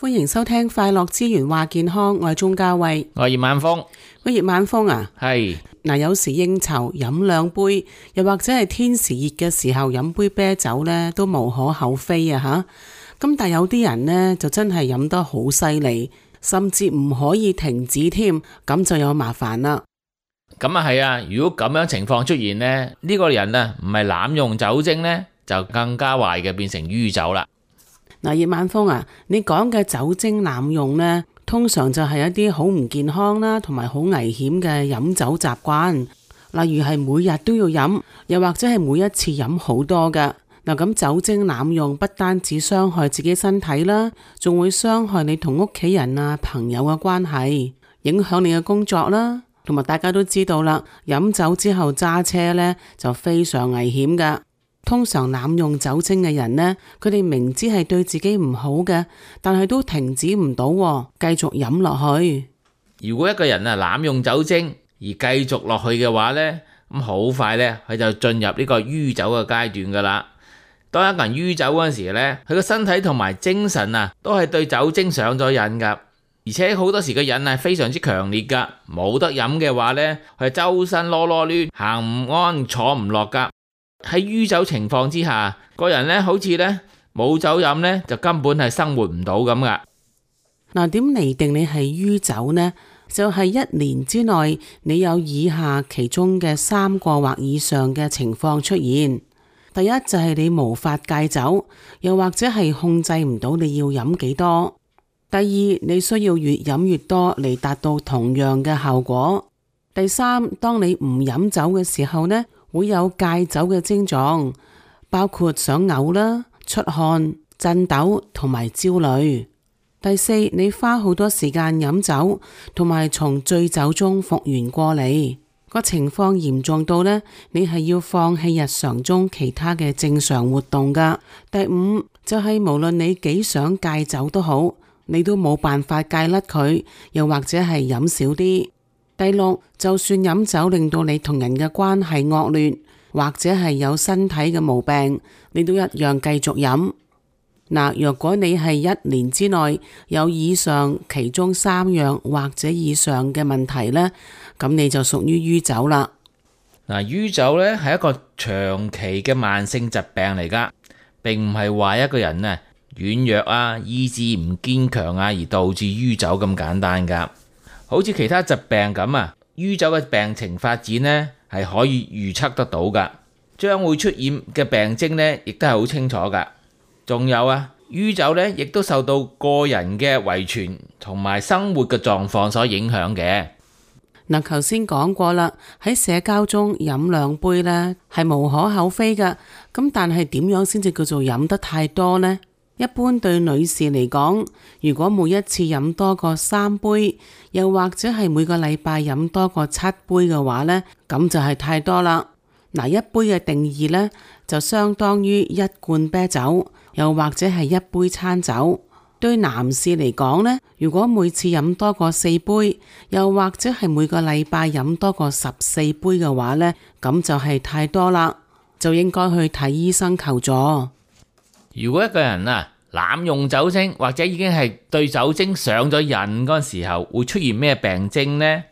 歡迎收聽快樂之源話健康，我係鍾嘉慧，我係葉晚風。葉晚風啊，係嗱，有時應酬飲兩杯，又或者係天時熱嘅時候飲杯啤酒呢，都無可厚非啊吓。咁但係有啲人呢，就真係飲得好犀利，甚至唔可以停止添，咁就有麻煩啦。咁啊係啊，如果咁樣情況出現呢，呢個人啊唔係濫用酒精呢，就更加壞嘅，變成酗酒啦。嗱，葉晚風啊，你講嘅酒精濫用呢，通常就係一啲好唔健康啦，同埋好危險嘅飲酒習慣，例如係每日都要飲，又或者係每一次飲好多㗎。嗱，咁酒精濫用不單止傷害自己身體啦，仲會傷害你同屋企人啊、朋友嘅關係，影響你嘅工作啦，同埋大家都知道啦，飲酒之後揸車呢，就非常危險㗎。通常濫用酒精嘅人呢，佢哋明知係對自己唔好嘅，但係都停止唔到，繼續飲落去。如果一個人啊濫用酒精而繼續落去嘅話呢，咁好快呢，佢就進入呢個酗酒嘅階段噶啦。當一個人酗酒嗰陣時呢，佢個身體同埋精神啊都係對酒精上咗癮噶，而且好多時個癮係非常之強烈噶。冇得飲嘅話呢，佢周身囉囉攣，行唔安，坐唔落噶。喺酗酒情況之下，個人呢好似呢冇酒飲呢，就根本係生活唔到咁噶。嗱，點嚟定你係酗酒呢？就係1年之內你有以下其中嘅3個或以上嘅情況出現。第一就係你無法戒酒，又或者係控制唔到你要飲幾多。第二，你需要越飲越多嚟達到同樣嘅效果。第三，當你唔飲酒嘅時候呢，會有戒酒嘅症狀，包括想嘔啦、出汗、震抖同埋焦慮。第四，你花好多時間飲酒，同埋從醉酒中復原過嚟，個情況嚴重到呢，你係要放棄日常中其他嘅正常活動噶。第五就係無論你幾想戒酒都好，你都冇辦法戒甩佢，又或者係飲少啲。第六，就算飲酒令到你同人嘅關係惡劣，或者係有身體嘅毛病，你都一樣繼續飲。嗱，若果你係1年之內有以上其中3樣或者以上嘅問題呢，咁你就屬於酗酒啦。嗱，酗酒呢係一個長期嘅慢性疾病嚟噶，並唔係話一個人啊軟弱啊、意志唔堅強啊而導致酗酒咁簡單噶。好似其他疾病咁啊，酗酒嘅病情發展呢係可以預測得到噶，將會出現嘅病徵呢亦都係好清楚噶。仲有啊，酗酒呢亦都受到個人嘅遺傳同埋生活嘅狀況所影響嘅。嗱，頭先講過啦，喺社交中飲2杯呢係無可厚非噶，咁但係點樣先至叫做飲得太多呢？一般對女士嚟講，如果每一次飲多過3杯，又或者係每個禮拜飲多過7杯嘅話呢，咁就係太多啦。嗱，一杯嘅定義呢，就相當於1罐啤酒，又或者係1杯餐酒。對男士嚟講呢，如果每次飲多過4杯，又或者係每個禮拜飲多過14杯嘅話呢，咁就係太多啦，就應該去睇醫生求助。如果一個人啊濫用酒精，或者已經係對酒精上咗癮嗰陣時候，會出現咩病徵呢？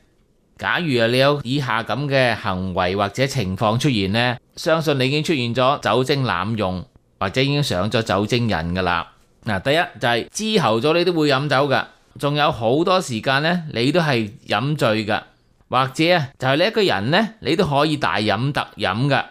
假如你有以下咁嘅行為或者情況出現呢，相信你已經出現咗酒精濫用，或者已經上咗酒精癮噶啦。嗱，第一就係之後咗你都會飲酒噶，仲有好多時間呢，你都係飲醉噶，或者啊就係你一個人呢，你都可以大飲特飲噶。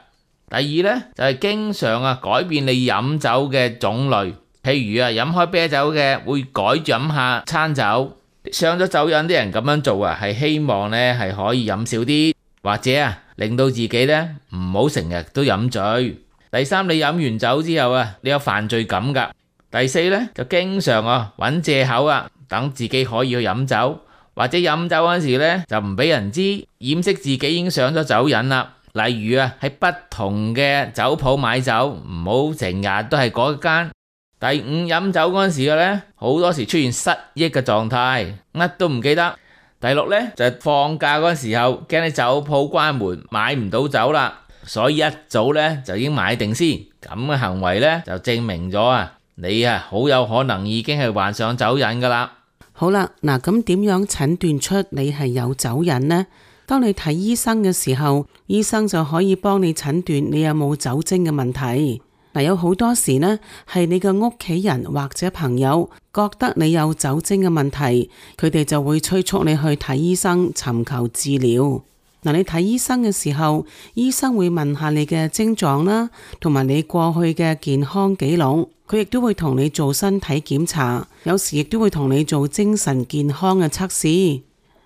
第二呢，就係經常啊改變你飲酒嘅種類，譬如啊飲開啤酒嘅會改飲下餐酒。上咗酒癮啲人咁樣做啊，係希望呢係可以飲少啲，或者啊令到自己呢唔好成日都飲醉。第三，你飲完酒之後啊，你有犯罪感噶。第四呢，就經常啊揾藉口啊，等自己可以去飲酒，或者飲酒嗰時呢就唔俾人知，掩飾自己已經上咗酒癮啦。例如啊，喺不同嘅酒鋪買酒，唔好成日都係嗰間。第五，飲酒嗰陣時嘅呢，好多時出現失憶嘅狀態，乜都唔記得。第六呢，就係放假嗰陣時候，驚你酒鋪關門，買唔到酒啦，所以一早呢就已經買定先。咁嘅行為呢，就證明咗啊，你好有可能已經係患上酒癮噶啦。好啦，嗱，咁點樣診斷出你係有酒癮呢？當你睇醫生嘅時候，醫生就可以幫你診斷你有冇酒精嘅問題。嗱，有好多時呢，係你嘅屋企人或者朋友覺得你有酒精嘅問題，佢哋就會催促你去睇醫生，尋求治療。嗱，你睇醫生嘅時候，醫生會問下你嘅症狀啦，同埋你過去嘅健康記錄，佢亦都會同你做身體檢查，有時亦都會同你做精神健康嘅測試。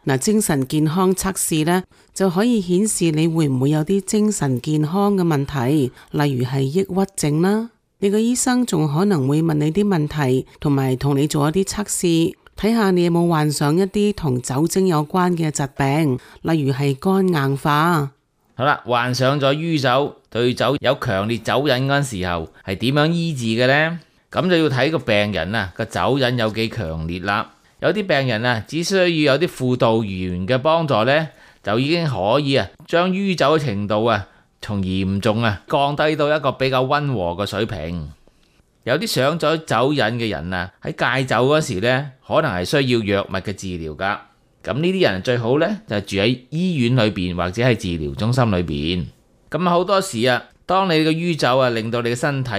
嗱，精神健康測試呢，就可以顯示你會唔會有啲精神健康嘅問題，例如係抑鬱症啦。你個醫生仲可能會問你啲問題，同埋同你做一啲測試，睇下你有冇患上一啲同酒精有關嘅疾病，例如係肝硬化。好啦，患上咗酗酒，對酒有強烈酒癮嗰陣時候，係點樣醫治嘅呢？咁就要睇個病人啊個酒癮有幾強烈啦。有啲病人啊，只需要有啲輔導員嘅幫助呢，就已經可以將酗酒嘅程度從嚴重降低到一個比較溫和嘅水平。有啲上咗酒癮嘅人喺戒酒嗰時呢，可能係需要藥物嘅治療噶。咁呢啲人最好呢，就住喺醫院裏邊或者係治療中心裏邊。咁好多時當你嘅酗酒令到你嘅身體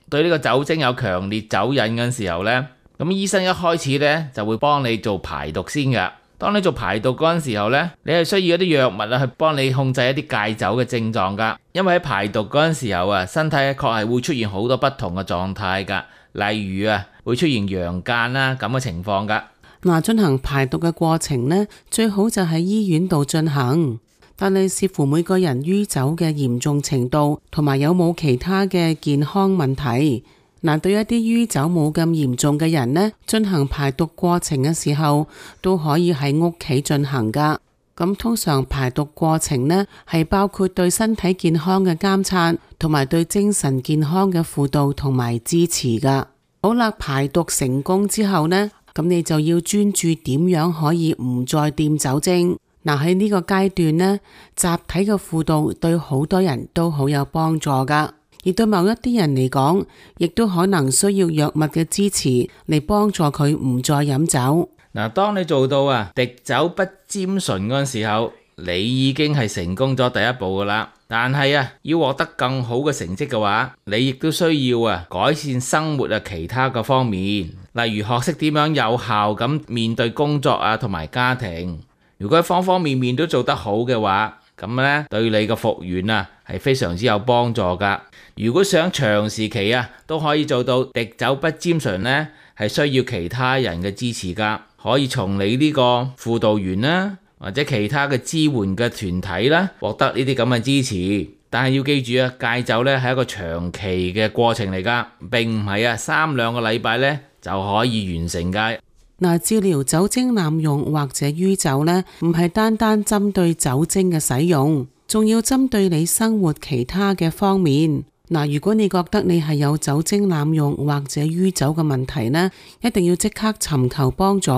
對呢個酒精有強烈酒癮嗰陣時候呢，咁醫生一開始呢，就會幫你做排毒先噶。當你做排毒嗰陣時候呢，你係需要一啲藥物去幫你控制一啲戒酒嘅症狀噶。因為喺排毒嗰陣時候身體確係會出現好多不同嘅狀態噶，例如會出現陽間啦咁嘅情況噶。嗱，進行排毒嘅過程呢，最好就喺醫院度進行，但係視乎每個人酗酒嘅嚴重程度，同埋有冇其他嘅健康問題。嗱，對一啲酗酒冇咁嚴重嘅人呢，進行排毒過程嘅時候都可以喺屋企進行噶。咁通常排毒過程呢，係包括對身體健康嘅監察，同埋對精神健康嘅輔導同埋支持噶。好啦，排毒成功之後呢，咁你就要專注點樣可以唔再掂酒精。嗱，喺呢個階段呢，集體嘅輔導對好多人都好有幫助噶。而對某一啲人嚟講，亦都可能需要藥物嘅支持嚟幫助佢唔再飲酒。嗱，當你做到滴酒不沾唇嗰陣時候，你已經係成功咗第一步噶啦。但係要獲得更好嘅成績嘅話，你亦都需要改善生活其他嘅方面，例如學識點樣有效咁面對工作同埋家庭。如果方方面面都做得好嘅話，咁呢對你嘅復原係非常之有幫助噶。如果想長時期都可以做到滴酒不沾唇呢，係需要其他人嘅支持噶。可以從你呢個輔導員啦，或者其他嘅支援嘅團體啦，獲得呢啲咁嘅支持。但係要記住戒酒呢係一個長期嘅過程嚟噶，並唔係3-2個禮拜呢就可以完成噶。嗱，治療酒精濫用或者酗酒呢，唔係單單針對酒精嘅使用，仲要針對你生活其他嘅方面。嗱，如果你覺得你係有酒精濫用或者酗酒嘅問題呢，一定要即刻尋求幫助。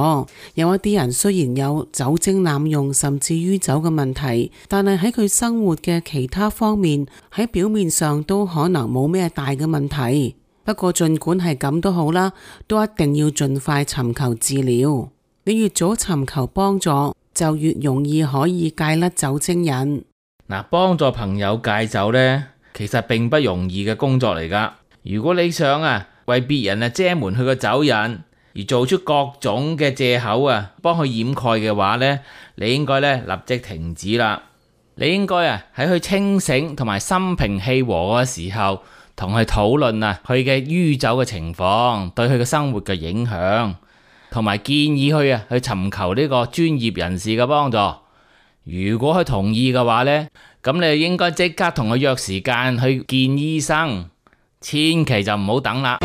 有一啲人雖然有酒精濫用甚至酗酒嘅問題，但係喺佢生活嘅其他方面，喺表面上都可能冇咩大嘅問題。不過儘管係咁都好啦，都一定要盡快尋求治療。你越早尋求幫助，就越容易可以戒甩酒精癮。嗱，幫助朋友戒酒呢，其實並不容易嘅工作嚟噶。如果你想為別人遮瞞佢個酒癮，而做出各種嘅借口幫佢掩蓋嘅話呢，你應該立即停止啦。你應該喺佢清醒同埋心平氣和嘅時候，同佢討論佢嘅酗酒嘅情況對佢嘅生活嘅影響，同埋建議佢去尋求呢個專業人士嘅幫助。如果佢同意嘅話呢，咁你應該即刻同佢約時間去見醫生，千祈就唔好等啦。